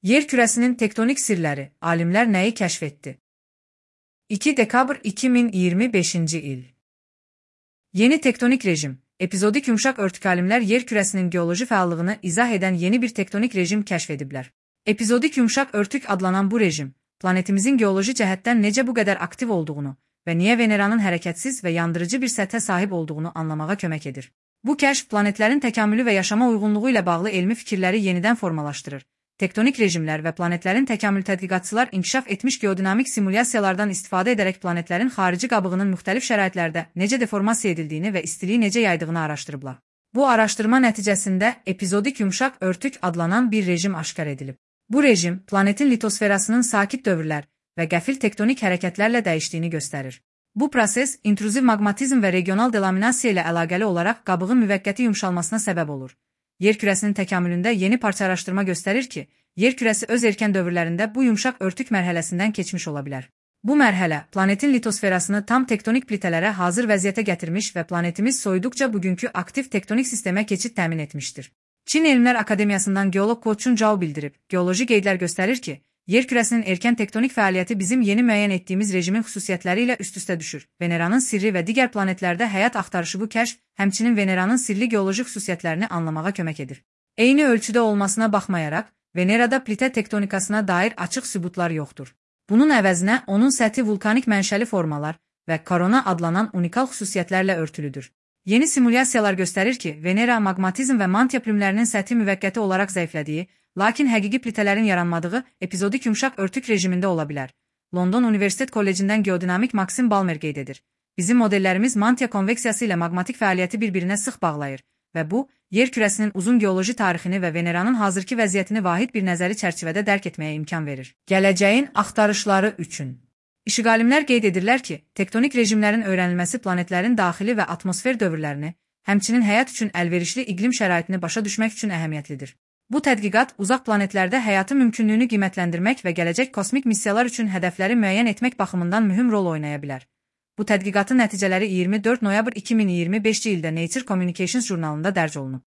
Yer kürəsinin tektonik sirləri, alimlər nəyi kəşf etdi? 2 dekabr 2025-ci il. Yeni tektonik rejim, epizodik yumşaq örtük alimlər yer kürəsinin geoloji fəallığını izah edən yeni bir tektonik rejim kəşf ediblər. Epizodik yumşaq örtük adlanan bu rejim, planetimizin geoloji cəhətdən necə bu qədər aktiv olduğunu və niyə Veneranın hərəkətsiz və yandırıcı bir səthə sahib olduğunu anlamağa kömək edir. Bu kəşf planetlərin təkamülü və yaşama uyğunluğu ilə bağlı elmi fikirləri yenidən formalaşdırır. Tektonik rejimlər və planetlərin təkamül tədqiqatçılar inkişaf etmiş geodinamik simulyasiyalardan istifadə edərək planetlərin xarici qabığının müxtəlif şəraitlərdə necə deformasiya edildiyini və istiliyi necə yaydığını araşdırıblar. Bu araşdırma nəticəsində epizodik yumşaq örtük adlanan bir rejim aşkar edilib. Bu rejim, planetin litosferasının sakit dövrlər və qəfil tektonik hərəkətlərlə dəyişdiyini göstərir. Bu proses, intruziv maqmatizm və regional delaminasiya ilə əlaqəli olaraq qabığın müvəqqəti yumşalmasına səbəb olur. Yer kürəsinin təkamülündə yeni parça araşdırma göstərir ki, yer kürəsi öz erkən dövrlərində bu yumşaq örtük mərhələsindən keçmiş ola bilər. Bu mərhələ, planetin litosferasını tam tektonik plitələrə hazır vəziyyətə gətirmiş və planetimiz soyuduqca bugünkü aktiv tektonik sistemə keçid təmin etmişdir. Çin Elmlər Akademiyasından geolog Ko Chun Zhao bildirib, geoloji qeydlər göstərir ki, yer kürəsinin erkən tektonik fəaliyyəti bizim yeni müəyyən etdiyimiz rejimin xüsusiyyətləri ilə üst-üstə düşür. Veneranın sirri və digər planetlərdə həyat axtarışı bu kəşf, həmçinin Veneranın sirli geoloji xüsusiyyətlərini anlamağa kömək edir. Eyni ölçüdə olmasına baxmayaraq, Venerada plitə tektonikasına dair açıq sübutlar yoxdur. Bunun əvəzinə onun səthi vulkanik mənşəli formalar və korona adlanan unikal xüsusiyyətlərlə örtülüdür. Yeni simulyasiyalar göstərir ki, Venera maqmatizm və mantia plümlərinin səthi müvəqqəti olaraq zəiflədiyi, lakin həqiqi plitələrin yaranmadığı epizodik yumşaq örtük rejimində ola bilər. London Universitet Kollecindən geodinamik Maksim Balmer qeyd edir. Bizim modellərimiz mantia konveksiyası ilə maqmatik fəaliyyəti bir-birinə sıx bağlayır və bu, yer kürəsinin uzun geoloji tarixini və Veneranın hazırki vəziyyətini vahid bir nəzəri çərçivədə dərk etməyə imkan verir. Gələcəyin axtarışları üçün. İşğalimlər qeyd edirlər ki, tektonik rejimlərin öyrənilməsi planetlərin daxili və atmosfer dövrlərini, həmçinin həyat üçün əlverişli iqlim şəraitini başa düşmək üçün əhəmiyyətlidir. Bu tədqiqat uzaq planetlərdə həyatın mümkünlüyünü qiymətləndirmək və gələcək kosmik missiyalar üçün hədəfləri müəyyən etmək baxımından mühüm rol oynaya bilər. Bu tədqiqatın nəticələri 24 noyabr 2025-ci ildə Nature Communications jurnalında dərc olunub.